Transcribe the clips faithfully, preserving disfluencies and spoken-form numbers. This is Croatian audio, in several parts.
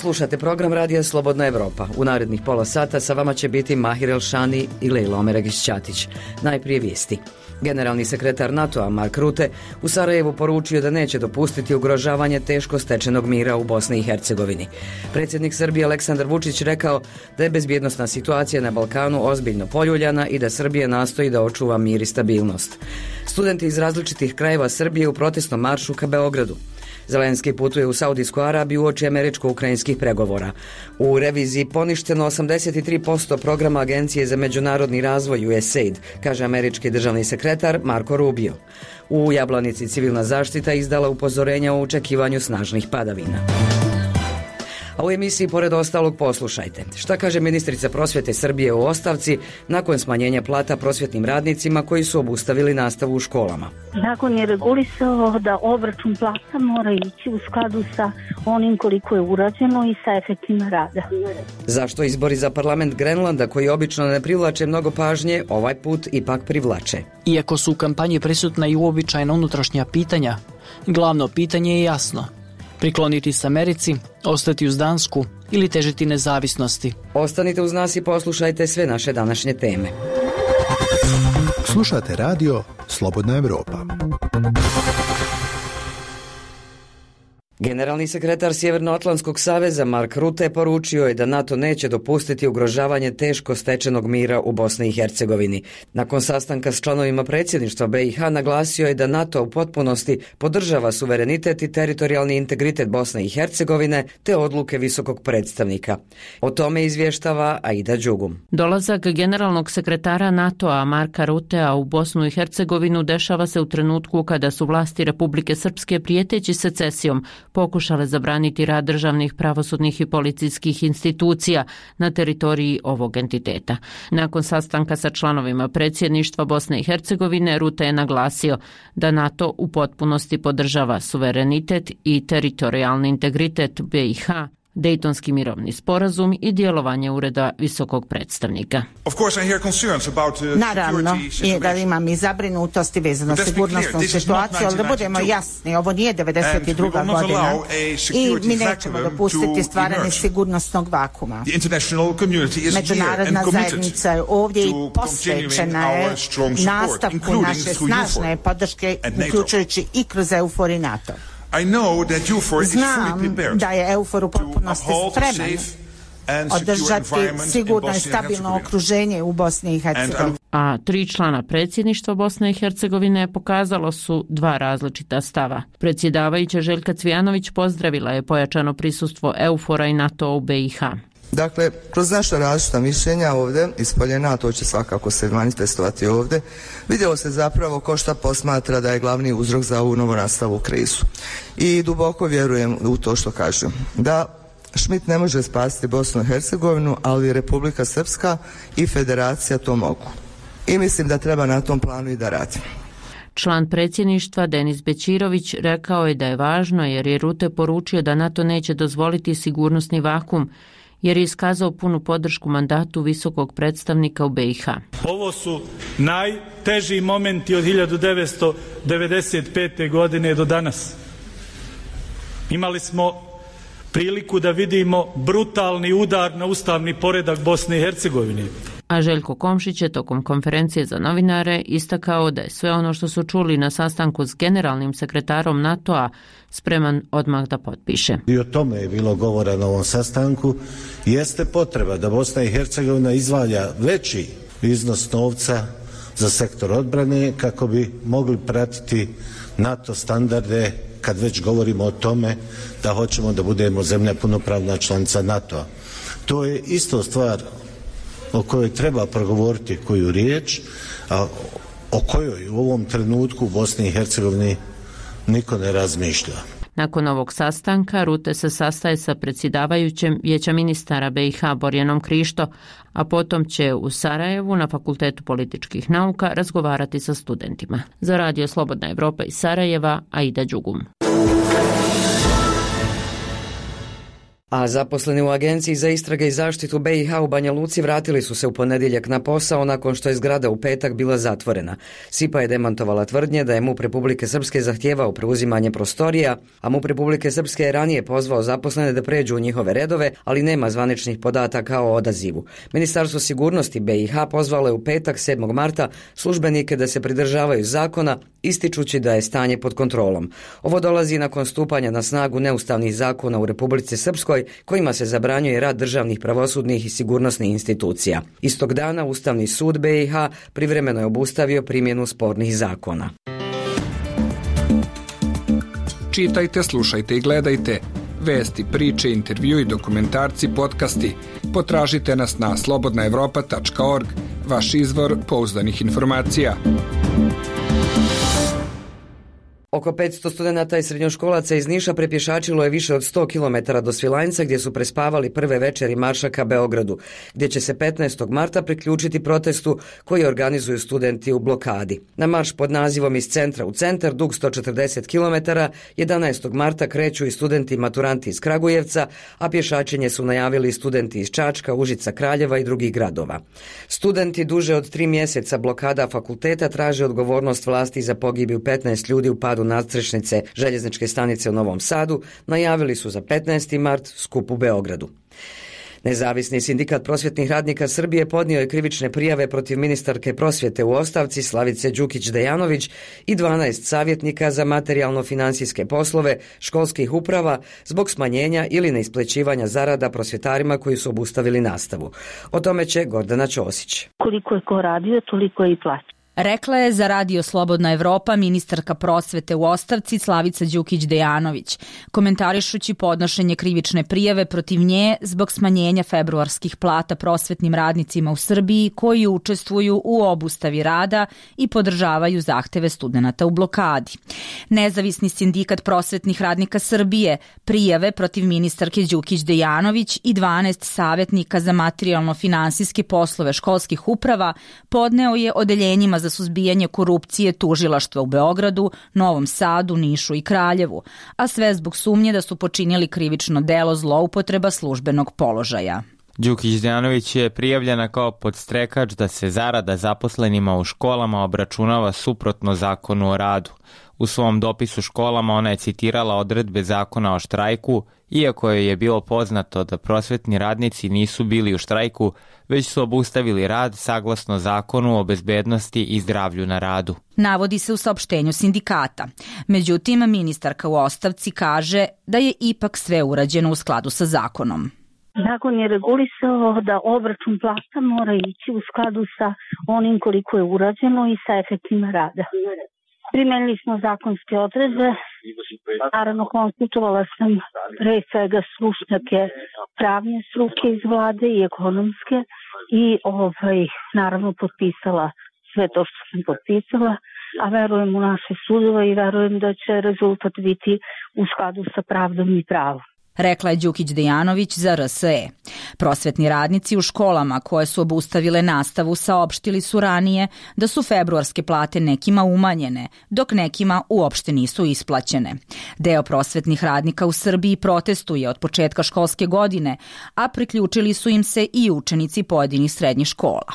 Slušate program Radija Slobodna Evropa. U narednih pola sata sa vama će biti Mahir Elšani i Lejla Omeregić-Ćatić. Najprije vijesti. Generalni sekretar NATO-a Mark Rutte u Sarajevu poručio da neće dopustiti ugrožavanje teško stečenog mira u Bosni i Hercegovini. Predsjednik Srbije Aleksandar Vučić rekao da je bezbjednosna situacija na Balkanu ozbiljno poljuljana i da Srbija nastoji da očuva mir i stabilnost. Studenti iz različitih krajeva Srbije u protestnom maršu ka Beogradu. Zelenski putuje u Saudijsku Arabiju uoči američko-ukrajinskih pregovora. U reviziji poništeno osamdeset tri posto programa Agencije za međunarodni razvoj U S A I D, kaže američki državni sekretar Marco Rubio. U Jablanici civilna zaštita izdala upozorenja o očekivanju snažnih padavina. A u emisiji pored ostalog poslušajte. Šta kaže ministrica prosvjete Srbije u ostavci nakon smanjenja plata prosvjetnim radnicima koji su obustavili nastavu u školama? Zakon je regulisao da obračun plata mora ići u skladu sa onim koliko je urađeno i sa efektima rada. Zašto izbori za parlament Grenlanda, koji obično ne privlače mnogo pažnje, ovaj put ipak privlače? Iako su u kampanji prisutna i uobičajena unutrašnja pitanja, glavno pitanje je jasno. Prikloniti se Americi, ostati uz Dansku ili težiti nezavisnosti. Ostanite uz nas i poslušajte sve naše današnje teme. Slušate radio Slobodna Evropa. Generalni sekretar Sjevernoatlantskog saveza Mark Rutte poručio je da NATO neće dopustiti ugrožavanje teško stečenog mira u Bosni i Hercegovini. Nakon sastanka s članovima predsjedništva B i H naglasio je da NATO u potpunosti podržava suverenitet i teritorijalni integritet Bosne i Hercegovine te odluke visokog predstavnika. O tome izvještava Aida Đugum. Dolazak generalnog sekretara NATO-a Marka Ruttea u Bosnu i Hercegovinu dešava se u trenutku kada su vlasti Republike Srpske prijeteći secesijom pokušale zabraniti rad državnih, pravosudnih i policijskih institucija na teritoriji ovog entiteta. Nakon sastanka sa članovima predsjedništva Bosne i Hercegovine, Rutte je naglasio da NATO u potpunosti podržava suverenitet i teritorijalni integritet B i H, Dejtonski mirovni sporazum i djelovanje ureda visokog predstavnika. Naravno, je da imam i zabrinutosti vezano s sigurnosnom situacijom, ali da budemo jasni, ovo nije devedeset druga godina i mi nećemo dopustiti stvaranje sigurnosnog vakuma. Međunarodna zajednica je ovdje i posvećena je nastavku naše snažne podrške, uključujući i kroz EUFOR i NATO. Znam da je EUFOR u potpunosti spreman održati sigurno i stabilno okruženje u Bosni i Hercegovini. A tri člana predsjedništva Bosne i Hercegovine pokazalo su dva različita stava. Predsjedavajuća Željka Cvijanović pozdravila je pojačano prisustvo EUFOR-a i NATO u B i H. Dakle, kroz naša različita mišljenja ovdje ispoljena, to će svakako se manifestovati ovdje, vidjelo se zapravo ko šta posmatra da je glavni uzrok za ovu novonastalu krizu. I duboko vjerujem u to što kažu. Da Schmidt ne može spasiti Bosnu i Hercegovinu, ali Republika Srpska i Federacija to mogu. I mislim da treba na tom planu i da radimo. Član predsjedništva Denis Bećirović rekao je da je važno jer je Rutte poručio da NATO neće dozvoliti sigurnosni vakum, jer je iskazao punu podršku mandatu visokog predstavnika u B i H. Ovo su najteži momenti od hiljadu devetsto devedeset pete. godine do danas. Imali smo priliku da vidimo brutalni udar na ustavni poredak Bosne i Hercegovine. A Željko Komšić je tokom konferencije za novinare istakao da je sve ono što su čuli na sastanku s generalnim sekretarom NATO-a spreman odmah da potpiše. I o tome je bilo govora na ovom sastanku. Jeste potreba da Bosna i Hercegovina izdvaja veći iznos novca za sektor odbrane kako bi mogli pratiti NATO standarde kad već govorimo o tome da hoćemo da budemo zemlja punopravna članica NATO-a. To je isto stvar o kojoj treba progovoriti koju riječ, a o kojoj u ovom trenutku u Bosni i Hercegovini niko ne razmišlja. Nakon ovog sastanka Rutte se sastaje sa predsjedavajućem Vijeća ministara B i H Borjanom Krišto, a potom će u Sarajevu na Fakultetu političkih nauka razgovarati sa studentima. Za Radio Slobodna Evropa iz Sarajeva, Aida Đugum. A zaposleni u Agenciji za istrage i zaštitu B i H u Banja Luci vratili su se u ponedjeljak na posao nakon što je zgrada u petak bila zatvorena. S I P A je demantovala tvrdnje da je MUP Republike Srpske zahtijevao preuzimanje prostorija, a MUP Republike Srpske je ranije pozvao zaposlene da pređu u njihove redove, ali nema zvaničnih podataka o odazivu. Ministarstvo sigurnosti B i H pozvalo je u petak sedmog marta službenike da se pridržavaju zakona, ističući da je stanje pod kontrolom. Ovo dolazi nakon stupanja na snagu neustavnih zakona u Republici Srpskoj kojima se zabranjuje rad državnih, pravosudnih i sigurnosnih institucija. Istog dana Ustavni sud B i H privremeno je obustavio primjenu spornih zakona. Čitajte, slušajte i gledajte vesti, priče, intervju i dokumentarci, podcasti. Potražite nas na slobodna evropa tačka org, vaš izvor pouzdanih informacija. Oko petsto studenata i srednjoškolaca iz Niša prepješačilo je više od sto kilometara do Svilajnca gdje su prespavali prve večeri marša ka Beogradu, gdje će se petnaestog marta priključiti protestu koji organizuju studenti u blokadi. Na marš pod nazivom Iz centra u centar, dug sto četrdeset kilometara, jedanaestog marta kreću i studenti i maturanti iz Kragujevca, a pješačenje su najavili studenti iz Čačka, Užica, Kraljeva i drugih gradova. Studenti duže od tri mjeseca blokada fakulteta traže odgovornost vlasti za pogibiju petnaest ljudi u padu nadstrešnice željezničke stanice u Novom Sadu, najavili su za petnaesti mart skup u Beogradu. Nezavisni sindikat prosvjetnih radnika Srbije podnio je krivične prijave protiv ministarke prosvjete u ostavci Slavice Đukić-Dejanović i dvanaest savjetnika za materijalno-financijske poslove školskih uprava zbog smanjenja ili neisplaćivanja zarada prosvjetarima koji su obustavili nastavu. O tome će Gordana Ćosić. Koliko je ko radio, toliko je i plaća. Rekla je za Radio Slobodna Evropa ministarka prosvete u ostavci Slavica Đukić-Dejanović, komentarišući podnošenje krivične prijave protiv nje zbog smanjenja februarskih plata prosvetnim radnicima u Srbiji koji učestvuju u obustavi rada i podržavaju zahteve studenata u blokadi. Nezavisni sindikat prosvetnih radnika Srbije prijave protiv ministarke Đukić-Dejanović i dvanaest savjetnika za materijalno-finansijske poslove školskih uprava podneo je odeljenjima za suzbijanje korupcije tužilaštva u Beogradu, Novom Sadu, Nišu i Kraljevu, a sve zbog sumnje da su počinili krivično delo zloupotreba službenog položaja. Đukić-Dejanović je prijavljena kao podstrekač da se zarada zaposlenima u školama obračunava suprotno zakonu o radu. U svom dopisu školama ona je citirala odredbe zakona o štrajku, iako joj je bilo poznato da prosvetni radnici nisu bili u štrajku, već su obustavili rad saglasno zakonu o bezbednosti i zdravlju na radu. Navodi se u saopštenju sindikata. Međutim, ministarka u ostavci kaže da je ipak sve urađeno u skladu sa zakonom. Zakon je regulisao da obračun plata mora ići u skladu sa onim koliko je urađeno i sa efektima rada. Primenili smo zakonske odredbe, naravno konsultovala sam pre svega stručnjake pravne struke iz vlade i ekonomske i ovaj, naravno potpisala sve to što sam potpisala, a verujem u naše sudove i verujem da će rezultat biti u skladu sa pravdom i pravom. Rekla je Đukić-Dejanović za R S E. Prosvetni radnici u školama koje su obustavile nastavu saopštili su ranije da su februarske plate nekima umanjene, dok nekima uopšte nisu isplaćene. Deo prosvetnih radnika u Srbiji protestuje od početka školske godine, a priključili su im se i učenici pojedinih srednjih škola.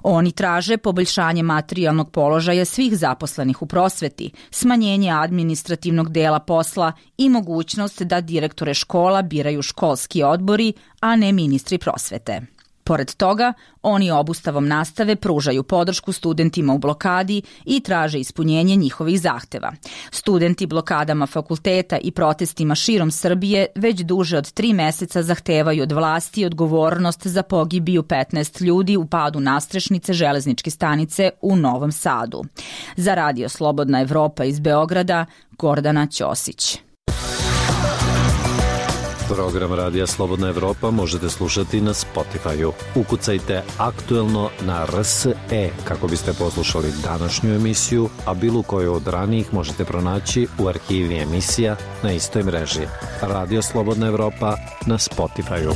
Oni traže poboljšanje materijalnog položaja svih zaposlenih u prosveti, smanjenje administrativnog dela posla i mogućnost da direktore škola biraju školski odbori, a ne ministri prosvete. Pored toga, oni obustavom nastave pružaju podršku studentima u blokadi i traže ispunjenje njihovih zahteva. Studenti blokadama fakulteta i protestima širom Srbije već duže od tri meseca zahtevaju od vlasti odgovornost za pogibiju petnaest ljudi u padu nadstrešnice železničke stanice u Novom Sadu. Za Radio Slobodna Evropa iz Beograda, Gordana Ćosić. Program Radija Slobodna Evropa možete slušati na Spotify-u. Ukucajte aktuelno na R S E kako biste poslušali današnju emisiju, a bilo koju od ranijih možete pronaći u arhivi emisija na istoj mreži. Radio Slobodna Evropa na Spotify-u.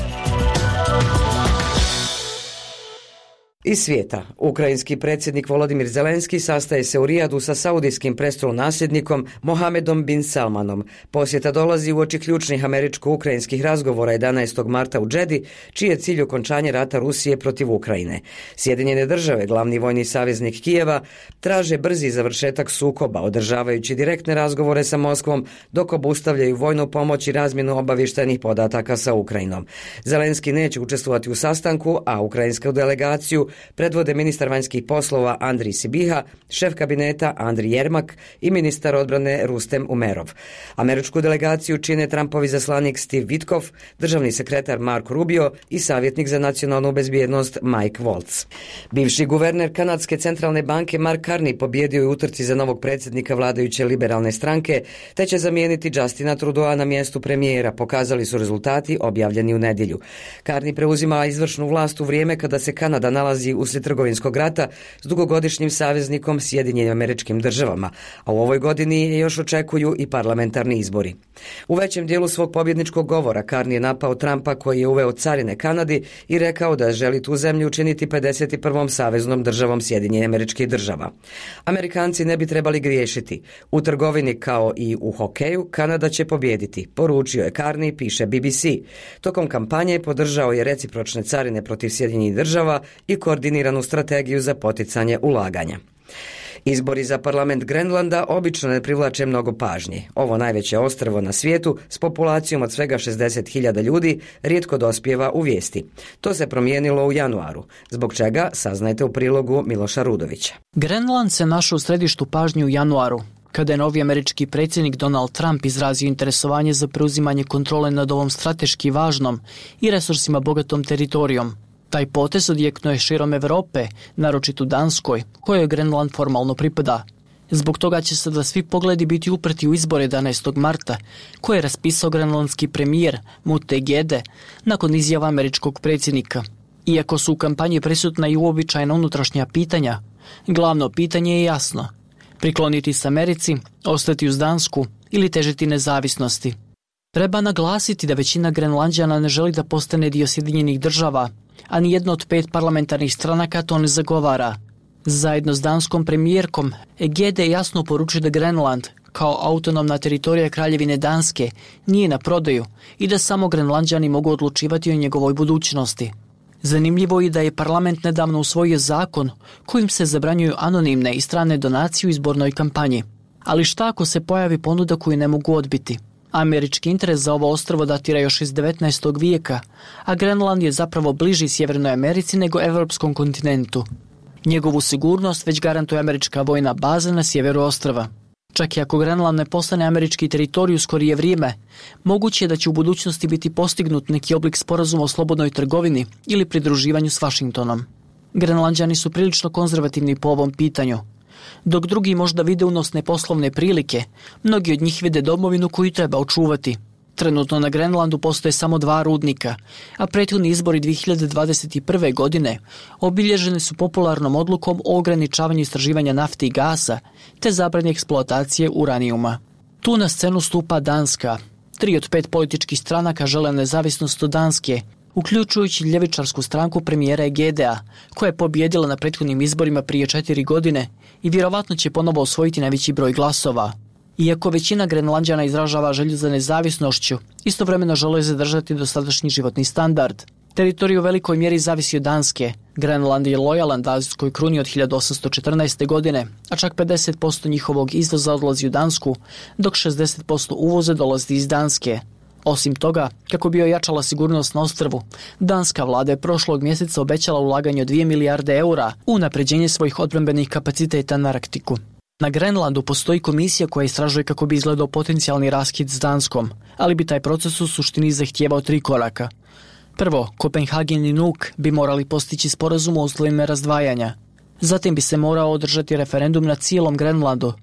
Iz svijeta, ukrajinski predsjednik Volodimir Zelenski sastaje se u Rijadu sa saudijskim prestolonasljednikom Mohamedom bin Salmanom. Posjeta dolazi uoči ključnih američko-ukrajinskih razgovora jedanaestog marta u Džedi, čiji je cilj okončanje rata Rusije protiv Ukrajine. Sjedinjene države, glavni vojni saveznik Kijeva, traže brzi završetak sukoba, održavajući direktne razgovore sa Moskvom, dok obustavljaju vojnu pomoć i razmjenu obavještajnih podataka sa Ukrajinom. Zelenski neće učestvovati u sastanku, a ukrajinsku delegaciju predvode ministar vanjskih poslova Andrij Sibiha, šef kabineta Andrij Jermak i ministar odbrane Rustem Umerov. Američku delegaciju čine Trumpovi zaslanik Steve Witkoff, državni sekretar Marco Rubio i savjetnik za nacionalnu bezbjednost Mike Waltz. Bivši guverner kanadske centralne banke Mark Carney pobjedio je u utrci za novog predsjednika vladajuće liberalne stranke, te će zamijeniti Justina Trudeau na mjestu premijera, pokazali su rezultati objavljeni u nedjelju. Carney preuzima izvršnu vlast u vrijeme kada se Kanada nalazi uslijed trgovinskog rata s dugogodišnjim saveznikom Sjedinjenim Američkim Državama, a u ovoj godini je još očekuju i parlamentarni izbori. U većem dijelu svog pobjedničkog govora Carney je napao Trumpa koji je uveo carine Kanadi i rekao da želi tu zemlju učiniti pedeset prvom saveznom državom Sjedinjenih Američkih Država. Amerikanci ne bi trebali griješiti. U trgovini kao i u hokeju Kanada će pobijediti, poručio je Carney, piše B B C. Tokom kampanje podržao je recipročne carine protiv Sjedinjenih Država i koordiniranu strategiju za poticanje ulaganja. Izbori za parlament Grenlanda obično ne privlače mnogo pažnje. Ovo najveće ostrvo na svijetu s populacijom od svega šezdeset hiljada ljudi rijetko dospijeva u vijesti. To se promijenilo u januaru, zbog čega saznajte u prilogu Miloša Rudovića. Grenland se našao u središtu pažnje u januaru, kada je novi američki predsjednik Donald Trump izrazio interesovanje za preuzimanje kontrole nad ovom strateški važnom i resursima bogatom teritorijom. Taj potez odjeknuo je širom Europe, naročito Danskoj, kojoj Grenland formalno pripada. Zbog toga će sada svi pogledi biti uprti u izbore jedanaestog marta, koje je raspisao grenlandski premijer Mute Gede nakon izjava američkog predsjednika. Iako su u kampanji prisutna i uobičajena unutrašnja pitanja, glavno pitanje je jasno: prikloniti se Americi, ostati uz Dansku ili težiti nezavisnosti. Treba naglasiti da većina Grenlanđana ne želi da postane dio Sjedinjenih Država, a ni jedna od pet parlamentarnih stranaka to ne zagovara. Zajedno s danskom premijerkom, Gede jasno poručuje da Grenland, kao autonomna teritorija Kraljevine Danske, nije na prodaju i da samo Grenlanđani mogu odlučivati o njegovoj budućnosti. Zanimljivo je da je parlament nedavno usvojio zakon kojim se zabranjuju anonimne i strane donacije u izbornoj kampanji. Ali šta ako se pojavi ponuda koju ne mogu odbiti? Američki interes za ovo ostrvo datira još iz devetnaestog vijeka, a Grenland je zapravo bliži Sjevernoj Americi nego evropskom kontinentu. Njegovu sigurnost već garantuje američka vojna baza na sjeveru ostrva. Čak i ako Grenland ne postane američki teritorij u skorije vrijeme, moguće je da će u budućnosti biti postignut neki oblik sporazuma o slobodnoj trgovini ili pridruživanju s Vašingtonom. Grenlanđani su prilično konzervativni po ovom pitanju. Dok drugi možda vide unosne poslovne prilike, mnogi od njih vide domovinu koju treba očuvati. Trenutno na Grenlandu postoje samo dva rudnika, a prethodni izbori dvije hiljade dvadeset prve. godine obilježeni su popularnom odlukom o ograničavanju istraživanja nafte i gasa te zabrani eksploatacije uranijuma. Tu na scenu stupa Danska. Tri od pet političkih stranaka žele nezavisnost od Danske, uključujući ljevičarsku stranku premijera Gedea, koja je pobjedila na prethodnim izborima prije četiri godine i vjerovatno će ponovo osvojiti najveći broj glasova. Iako većina Grenlanđana izražava želju za nezavisnošću, istovremeno žele zadržati dosadašnji životni standard. Teritorij u velikoj mjeri zavisi od Danske. Grenland je lojalan danskoj kruni od hiljadu osamsto četrnaeste. godine, a čak pedeset posto njihovog izvoza odlazi u Dansku, dok šezdeset posto uvoza dolazi iz Danske. Osim toga, kako bi ojačala sigurnost na ostrvu, danska vlada je prošlog mjeseca obećala ulaganje od dvije milijarde eura u unapređenje svojih odbrambenih kapaciteta na Arktiku. Na Grenlandu postoji komisija koja istražuje kako bi izgledao potencijalni raskid s Danskom, ali bi taj proces u suštini zahtijevao tri koraka. Prvo, Kopenhagen i Nuuk bi morali postići sporazum o uslovima razdvajanja. Zatim bi se morao održati referendum na cijelom Grenlandu,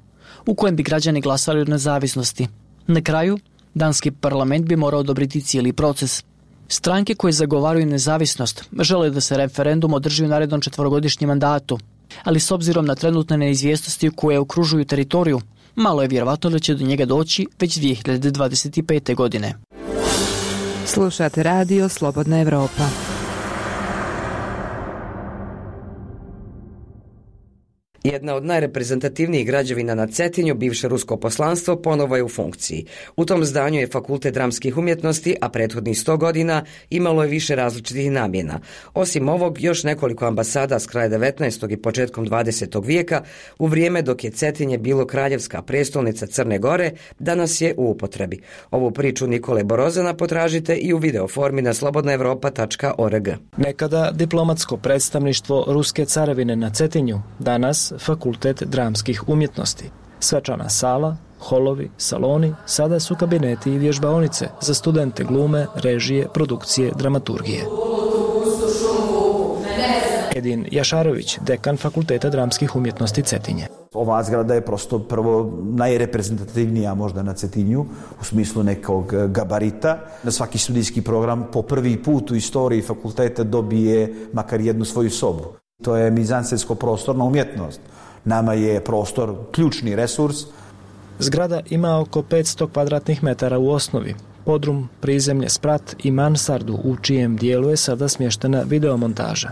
u kojem bi građani glasali o nezavisnosti. Na kraju, danski parlament bi morao odobriti cijeli proces. Stranke koje zagovaraju nezavisnost žele da se referendum održi u narednom četvorogodišnjem mandatu, ali s obzirom na trenutne neizvjesnosti koje okružuju teritoriju, malo je vjerovatno da će do njega doći već dvije hiljade dvadeset pete. godine. Slušate radio Slobodna Evropa. Jedna od najreprezentativnijih građevina na Cetinju, bivše rusko poslanstvo, ponovo je u funkciji. U tom zdanju je Fakultet dramskih umjetnosti, a prethodnih sto godina imalo je više različitih namjena. Osim ovog, još nekoliko ambasada s kraja devetnaestog i početkom dvadesetog vijeka, u vrijeme dok je Cetinje bilo kraljevska prestolnica Crne Gore, danas je u upotrebi. Ovu priču Nikole Borozana potražite i u video formi na slobodna evropa tačka org. Nekada diplomatsko predstavništvo Ruske carevine na Cetinju, danas Fakultet dramskih umjetnosti. Svečana sala, holovi, saloni, sada su kabineti i vježbaonice za studente glume, režije, produkcije, dramaturgije. Edin Jašarović, dekan Fakulteta dramskih umjetnosti Cetinje. Ova zgrada je prosto prvo najreprezentativnija možda na Cetinju u smislu nekog gabarita. Na svaki studijski program po prvi put u istoriji fakulteta dobije makar jednu svoju sobu. To je mizansensko prostorna umjetnost. Nama je prostor ključni resurs. Zgrada ima oko petsto kvadratnih metara u osnovi. Podrum, prizemlje, sprat i mansardu u čijem dijelu je sada smještena videomontaža.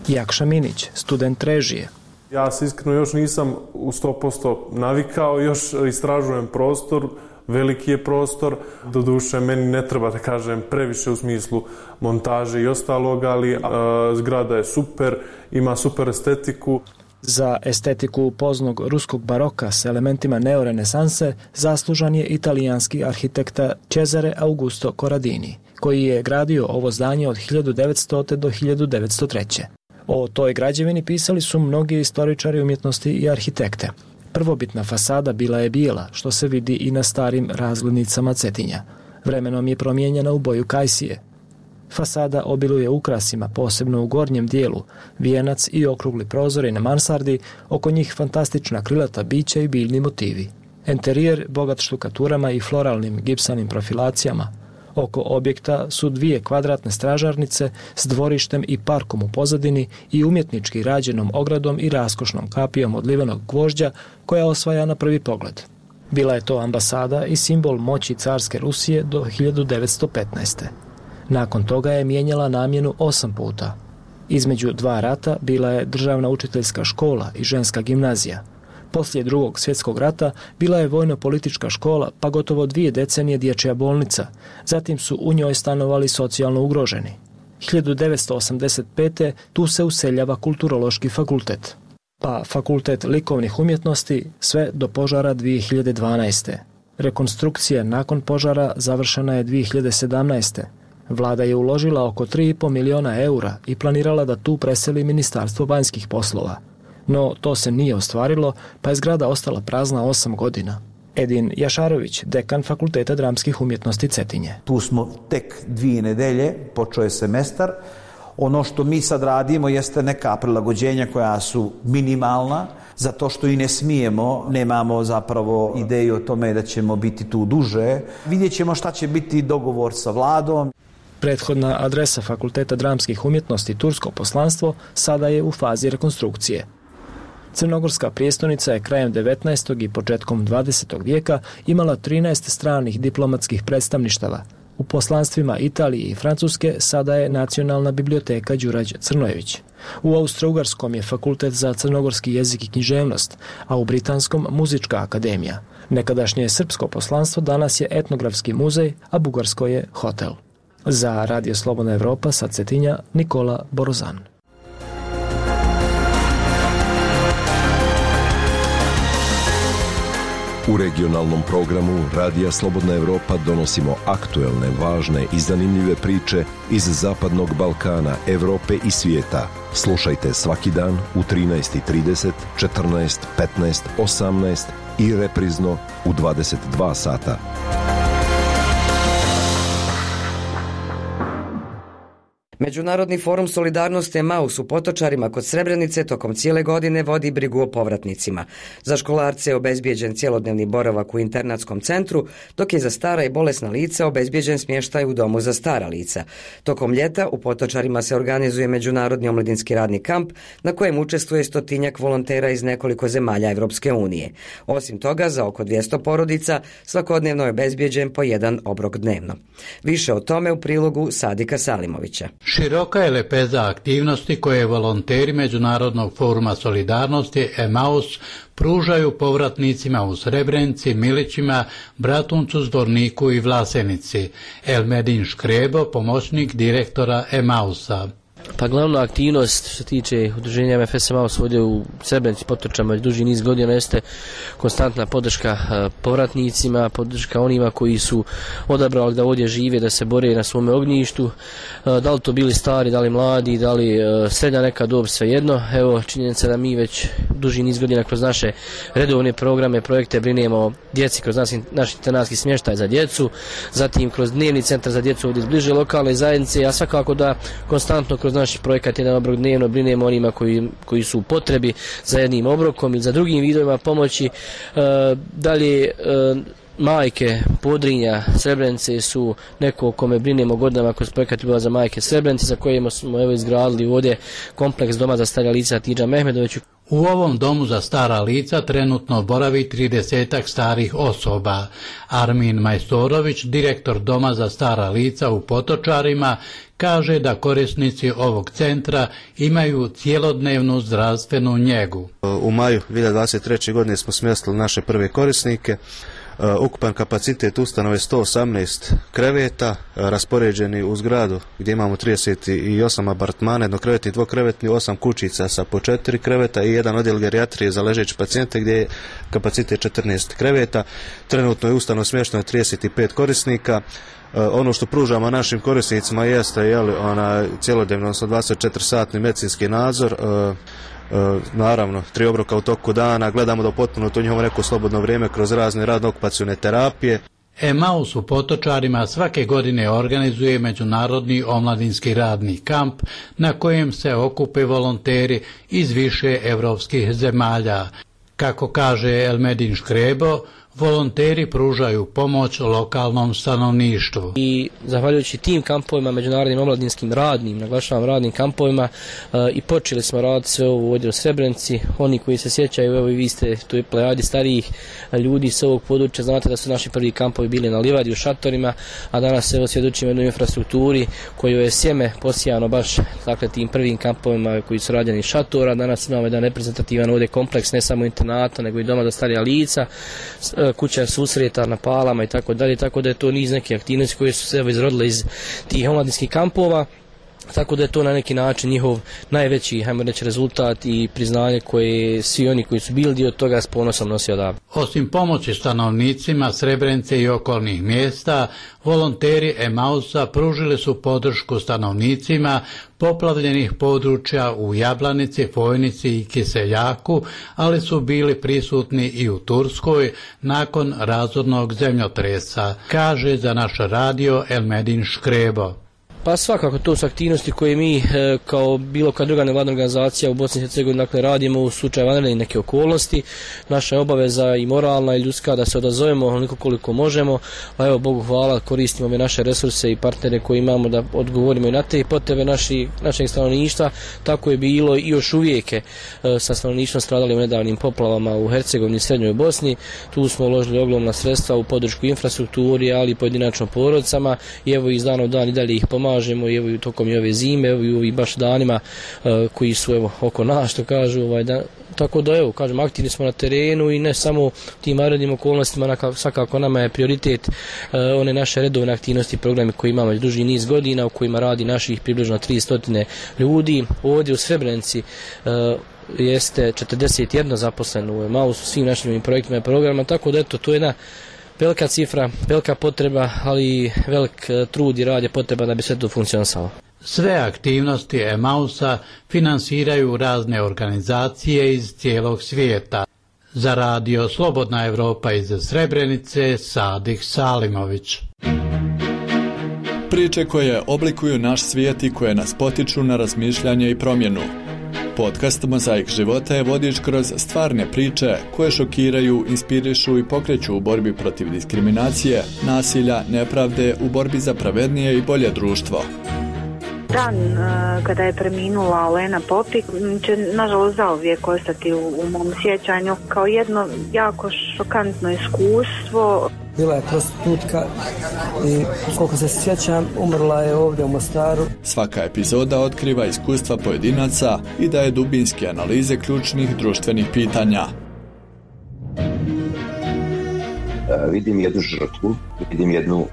Jakša Minić, student režije. Ja se iskreno još nisam u sto posto navikao, još istražujem prostor, veliki je prostor. Doduše, meni ne treba da kažem previše u smislu montaže i ostalog, ali a, zgrada je super, ima super estetiku. Za estetiku poznog ruskog baroka s elementima neorenesanse zaslužan je italijanski arhitekta Cesare Augusto Corradini, koji je gradio ovo zdanje od hiljadu devetstote do hiljadu devetsto treće. O toj građevini pisali su mnogi istoričari umjetnosti i arhitekte. Prvobitna fasada bila je bijela, što se vidi i na starim razglednicama Cetinja. Vremenom je promijenjena u boju kajsije. Fasada obiluje ukrasima, posebno u gornjem dijelu, vijenac i okrugli prozori na mansardi, oko njih fantastična krilata bića i biljni motivi. Enterijer bogat štukaturama i floralnim gipsanim profilacijama. Oko objekta su dvije kvadratne stražarnice s dvorištem i parkom u pozadini i umjetnički rađenom ogradom i raskošnom kapijom od livenog gvožđa koja osvaja na prvi pogled. Bila je to ambasada i simbol moći carske Rusije do hiljadu devetsto petnaeste. Nakon toga je mijenjala namjenu osam puta. Između dva rata bila je državna učiteljska škola i ženska gimnazija. Poslije drugog svjetskog rata bila je vojno-politička škola, pa gotovo dvije decenije dječja bolnica. Zatim su u njoj stanovali socijalno ugroženi. hiljadu devetsto osamdeset pete tu se useljava kulturološki fakultet, pa Fakultet likovnih umjetnosti sve do požara dvije hiljade dvanaeste. Rekonstrukcija nakon požara završena je dvije hiljade sedamnaeste. Vlada je uložila oko tri i pol miliona eura i planirala da tu preseli Ministarstvo vanjskih poslova. No to se nije ostvarilo, pa je zgrada ostala prazna osam godina. Edin Jašarović, dekan Fakulteta dramskih umjetnosti Cetinje. Tu smo tek dvije nedelje, počeo je semestar. Ono što mi sad radimo jeste neka prilagođenja koja su minimalna, zato što i ne smijemo, nemamo zapravo ideju o tome da ćemo biti tu duže. Vidjet ćemo šta će biti dogovor sa vladom. Prethodna adresa Fakulteta dramskih umjetnosti Tursko poslanstvo sada je u fazi rekonstrukcije. Crnogorska prijestolnica je krajem devetnaestog i početkom dvadesetog vijeka imala trinaest stranih diplomatskih predstavništava. U poslanstvima Italije i Francuske sada je Nacionalna biblioteka Đurađ Crnojević. U Austro-Ugarskom je Fakultet za crnogorski jezik i književnost, a u Britanskom Muzička akademija. Nekadašnje srpsko poslanstvo danas je etnografski muzej, a bugarsko je hotel. Za Radio Slobodna Evropa sa Cetinja, Nikola Borozan. U regionalnom programu Radija Slobodna Evropa donosimo aktuelne, važne i zanimljive priče iz Zapadnog Balkana, Evrope i svijeta. Slušajte svaki dan u trinaest i trideset, četrnaest, petnaest, osamnaest i reprizno u dvadeset dva sata. Međunarodni forum Solidarnost Emaus u Potočarima kod Srebrenice tokom cijele godine vodi brigu o povratnicima. Za školarce je obezbijeđen cjelodnevni boravak u internatskom centru, dok je za stara i bolesna lica obezbijeđen smještaj u domu za stara lica. Tokom ljeta u Potočarima se organizuje Međunarodni omladinski radni kamp na kojem učestvuje stotinjak volontera iz nekoliko zemalja Evropske unije. Osim toga, za oko dvjesto porodica svakodnevno je obezbijeđen po jedan obrok dnevno. Više o tome u prilogu Sadika Salimovića. Široka je lepeza aktivnosti koje volonteri Međunarodnog foruma solidarnosti Emaus pružaju povratnicima u Srebrenici, Milićima, Bratuncu, Zvorniku i Vlasenici. Elmedin Škrebo, pomoćnik direktora Emausa. Pa glavna aktivnost što se tiče udruženja M F S Emaus ovdje u Srebrenici, Potočama već duži niz godina jeste konstantna podrška povratnicima, podrška onima koji su odabrali da ovdje žive, da se bore na svome ognjištu, da li to bili stari, da li mladi, da li srednja neka dob, svejedno. Evo činjenica da mi već duži niz godina kroz naše redovne programe, projekte brinemo o djeci kroz naš, naš internatski smještaj za djecu, zatim kroz dnevni centar za djecu ovdje bliže lokalne zajednice, a svakako da konstantno kroz naš projekat jedan obrok dnevno brinemo onima koji, koji su u potrebi za jednim obrokom ili za drugim vidovima pomoći. E, dalje e, majke Podrinja, Srebrenice su neko o kome brinemo godinama kroz projekat Bila za majke Srebrenice, za koje smo evo izgradili ovdje kompleks doma za starija lica Tidža Mehmedoviću. U ovom domu za stara lica trenutno boravi tridesetak starih osoba. Armin Majstorović, direktor doma za stara lica u Potočarima, kaže da korisnici ovog centra imaju cijelodnevnu zdravstvenu njegu. U maju dvije hiljade dvadeset treće. godine smo smjestili naše prve korisnike. Ukupan kapacitet ustanove sto osamnaest kreveta, raspoređeni u zgradu gdje imamo trideset osam apartmana, jednokrevetni, dvokrevetni, osam kućica sa po četiri kreveta i jedan odjel gerijatrije za ležeće pacijente gdje je kapacitet četrnaest kreveta. Trenutno je ustanova smješteno trideset pet korisnika. Ono što pružamo našim korisnicima jeste jeli, ona cjelodnevno, odnosno dvadeset četiri satni medicinski nadzor, E, naravno, tri obroka u toku dana, gledamo da potpuno to njihovo neko slobodno vrijeme kroz razne radno-okupacione terapije. Emaus u Potočarima svake godine organizuje međunarodni omladinski radni kamp na kojem se okupe volonteri iz više evropskih zemalja. Kako kaže Elmedin Škrebo, volonteri pružaju pomoć lokalnom stanovništvu. I zahvaljujući tim kampovima, međunarodnim omladinskim radnim, naglašavam radnim kampovima, e, i počeli smo raditi sve ovo ovdje u Srebrenici. Oni koji se sjećaju, evo i vi ste tu plejadi starijih ljudi s ovog područja, znate da su naši prvi kampovi bili na livadi u šatorima, a danas evo svjedočimo jednoj infrastrukturi koju je sjeme posijano baš dakle, tim prvim kampovima koji su rađeni iz šatora. Danas imamo jedan reprezentativan ovdje kompleks, ne samo internata, nego i doma za starija lica, kuća susreta na palama i tako dalje, tako da je to niz neke aktivnosti koje su se izrodile iz tih omladinskih kampova, tako da je to na neki način njihov najveći, hajmo reći, rezultat i priznanje koje svi oni koji su bili dio toga s ponosom nosi odavde. Osim pomoći stanovnicima Srebrenice i okolnih mjesta, volonteri Emausa pružili su podršku stanovnicima poplavljenih područja u Jablanici, Fojnici i Kiseljaku, ali su bili prisutni i u Turskoj nakon razornog zemljotresa, kaže za naš radio Elmedin Škrebo. Pa svakako to su aktivnosti koje mi e, kao bilo koja druga nevladna organizacija u Bosni i Hercegovini dakle, radimo u slučaju vanredne neke okolnosti. Naša je obaveza i moralna i ljudska da se odazovemo onoliko koliko možemo, a evo Bogu hvala koristimo ove naše resurse i partnere koje imamo da odgovorimo i na te potrebe naši, našeg stanovništva. Tako je bilo i još uvijek e, sa stanovništvom stradali u nedavnim poplavama u Hercegovini i Srednjoj Bosni. Tu smo uložili ogromna sredstva u podršku infrastrukturi, ali i pojedinačno porodicama i evo iz dana u dan i dalje ih pomažemo. I evo i tokom i ove zime, evo i ovi baš danima uh, koji su evo oko nas, što kažu, ovaj, da, tako da evo, kažem, aktivni smo na terenu i ne samo tim vanrednim okolnostima, naka, svakako nama je prioritet uh, one naše redovne aktivnosti, programe koje imamo već duži niz godina, u kojima radi naših približno tristo ljudi. Ovdje u Srebrenici uh, jeste četrdeset jedan zaposleno u Emausu, svim našim projektima i programima, tako da eto, to je jedna velika cifra, velika potreba, ali velik trud i rad je potreba da bi sve to funkcionisalo. Sve aktivnosti Emausa finansiraju razne organizacije iz cijelog svijeta. Za radio Slobodna Evropa iz Srebrenice, Sadih Salimović. Priče koje oblikuju naš svijet i koje nas potiču na razmišljanje i promjenu. Podcast Mozaik života je vodič kroz stvarne priče koje šokiraju, inspirišu i pokreću u borbi protiv diskriminacije, nasilja, nepravde, u borbi za pravednije i bolje društvo. Dan uh, kada je preminula Olena Popik će nažalost zauvijek ostati u, u mom sjećanju kao jedno jako šokantno iskustvo. bila je prostitutka i koliko se sjećam, umrla je ovdje u Mostaru. Svaka epizoda otkriva iskustva pojedinaca i daje dubinske analize ključnih društvenih pitanja. Vidim jednu žrtvu, vidim jednu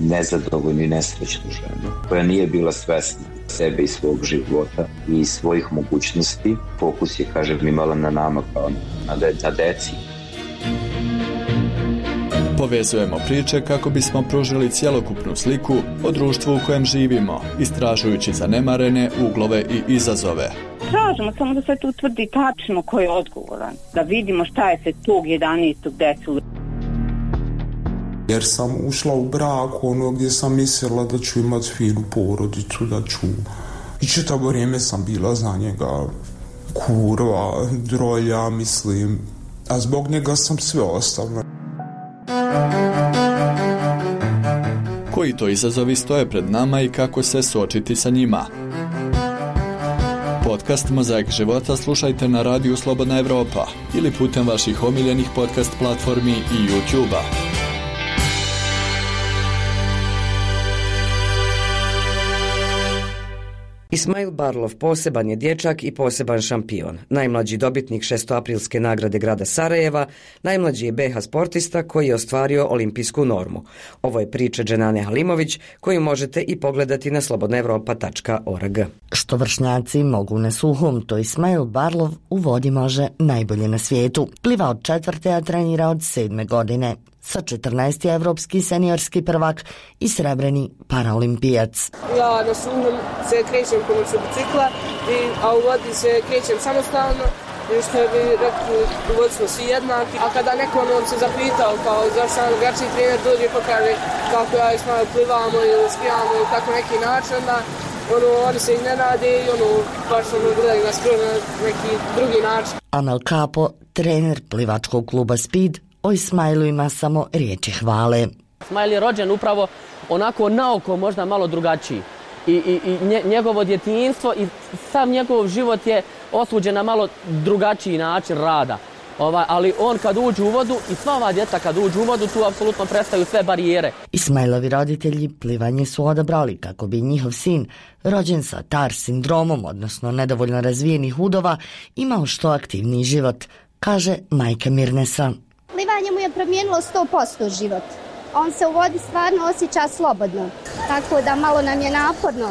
nezadovoljnu i nesrećnu ženu koja nije bila svesna sebe i svog života i svojih mogućnosti. Fokus je, kažem, imala na nama kao na, de, na deci. Povezujemo priče kako bismo pružili cjelokupnu sliku o društvu u kojem živimo, istražujući zanemarene uglove i izazove. Tražimo samo da se tu utvrdi tačno ko je odgovoran, da vidimo šta je se tog jedanaestog desilo. Jer sam ušla u brak ono gdje sam mislila da ću imati finu porodicu, da ću... I čitavo vrijeme sam bila za njega kurva, drolja, mislim, a zbog njega sam sve ostavila. Koji to izazovi stoje pred nama i kako se suočiti sa njima? Podcast Mozaik života slušajte na radiju Slobodna Evropa ili putem vaših omiljenih podcast platformi i YouTube-a. Ismail Barlov poseban je dječak i poseban šampion. Najmlađi dobitnik šestoaprilske nagrade grada Sarajeva, najmlađi je be ha sportista koji je ostvario olimpijsku normu. Ovo je priča Dženane Halimović koju možete i pogledati na slobodna evropa tačka org. Što vršnjaci mogu na suhom, to Ismail Barlov u vodi može najbolje na svijetu. Pliva od četvrte, a trenira od sedme godine. Sa četrnaest je evropski seniorski prvak i srebreni paraolimpijac. Ja na suhom se krećem pomoću bicikla, i, a u vodi se krećem samostalno, i što bi rekli, u vodi smo svi jednaki. A kada neko nam se zapitao kao zašto nam drugačiji trener dođe pokaže kako ja i Ismail plivamo ili skijamo ili tako neki način, da ono, oni se iznenade i ono, baš ono gledaju nas skoro na neki drugi način. Amel Kapo, trener plivačkog kluba Speed, o Ismailu ima samo riječi hvale. Ismail je rođen upravo onako naoko možda malo drugačiji. I, i, i njegovo djetinjstvo i sam njegov život je osuđen na malo drugačiji način rada. Ovaj, ali on kad uđe u vodu i sva ova djeca kad uđe u vodu, tu apsolutno prestaju sve barijere. Ismailovi roditelji plivanje su odabrali kako bi njihov sin, rođen sa T A R sindromom, odnosno nedovoljno razvijenih udova, imao što aktivniji život, kaže majka Mirnesa. Plivanje mu je promijenilo sto posto život. On se u vodi stvarno osjeća slobodno, tako da malo nam je naporno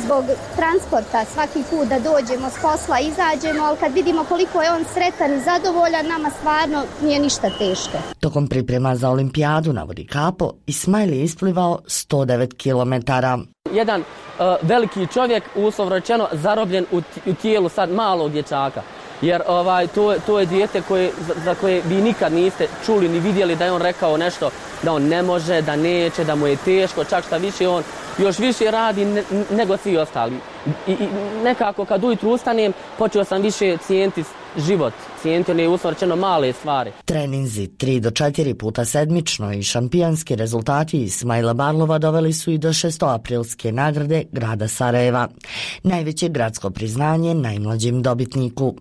zbog transporta svaki put da dođemo s posla, izađemo, ali kad vidimo koliko je on sretan i zadovoljan, nama stvarno nije ništa teško. Tokom priprema za olimpijadu, navodi Kapo, Ismail je isplivao sto devet kilometara. Jedan uh, veliki čovjek, uslovno rečeno, zarobljen u, u tijelu sad malog dječaka. Jer ovaj, to, to je dijete koje, za, za koje vi nikad niste čuli ni vidjeli da je on rekao nešto, da on ne može, da neće, da mu je teško, čak šta više on još više radi ne, nego svi ostali. I, i nekako kad ujutru ustanem, počeo sam više cijeniti život, cijeniti one usvrćeno male stvari. Treninzi tri do četiri puta sedmično i šampionski rezultati Ismaila Barlova doveli su i do šestoaprilske nagrade grada Sarajeva. Najveće gradsko priznanje najmlađim dobitniku.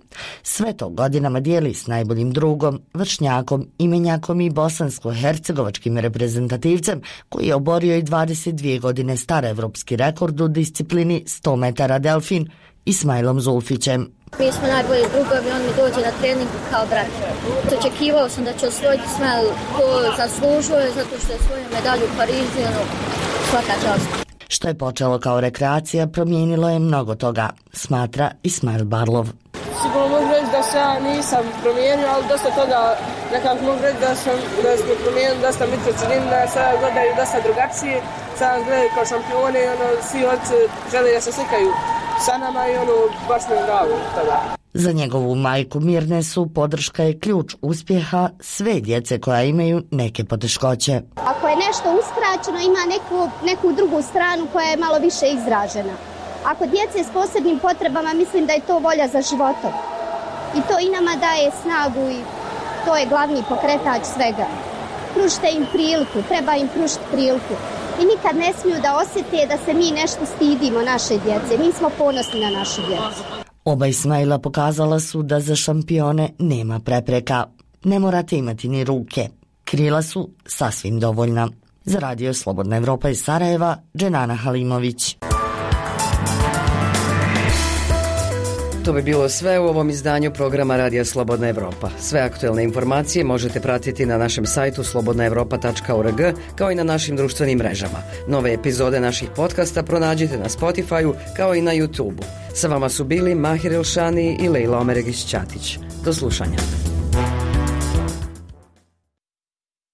Sve to godinama dijeli s najboljim drugom, vršnjakom, imenjakom i bosansko-hercegovačkim reprezentativcem koji je oborio i dvadeset dvije godine star evropski rekord u disciplini sto metara delfin, Ismailom Zulfićem. Mi smo najbolji drugovi, on mi dođe na trening kao brat. Očekivao sam da će osvojiti Ismail, ko zaslužuje zato što je svoju medalju u Parizu, ono, svaka čast. Što je počelo kao rekreacija, promijenilo je mnogo toga, smatra Ismail Barlov. Sigurno mogu reći da se ja nisam promijenio, ali dosta toga nekako mogu reći da sam, da smo promijenili dosta mikrocilin, da sada gledaju dosta drugačije, sada gledaju kao šampione i ono, svi oči žele da se slikaju sa nama i ono, baš mi je drago tada. Za njegovu majku Mirnesu podrška je ključ uspjeha sve djece koja imaju neke poteškoće. Ako je nešto uskraćeno, ima neku, neku drugu stranu koja je malo više izražena. Ako djece s posebnim potrebama, mislim da je to volja za životom. I to i nama daje snagu i to je glavni pokretač svega. Pružite im priliku, treba im pružiti priliku. I nikad ne smiju da osjete da se mi nešto stidimo naše djece. Mi smo ponosni na našu djecu. Oba Ismaila pokazala su da za šampione nema prepreka. Ne morate imati ni ruke. krila su sasvim dovoljna. Za Radio Slobodna Evropa iz Sarajeva, Dženana Halimović. To bi bilo sve u ovom izdanju programa Radija Slobodna Evropa. Sve aktuelne informacije možete pratiti na našem sajtu slobodna evropa tačka org kao i na našim društvenim mrežama. Nove epizode naših podcasta pronađite na Spotify-u kao i na YouTube-u. Sa vama su bili Mahir Elšani i Lejla Omeregić-Ćatić. Do slušanja.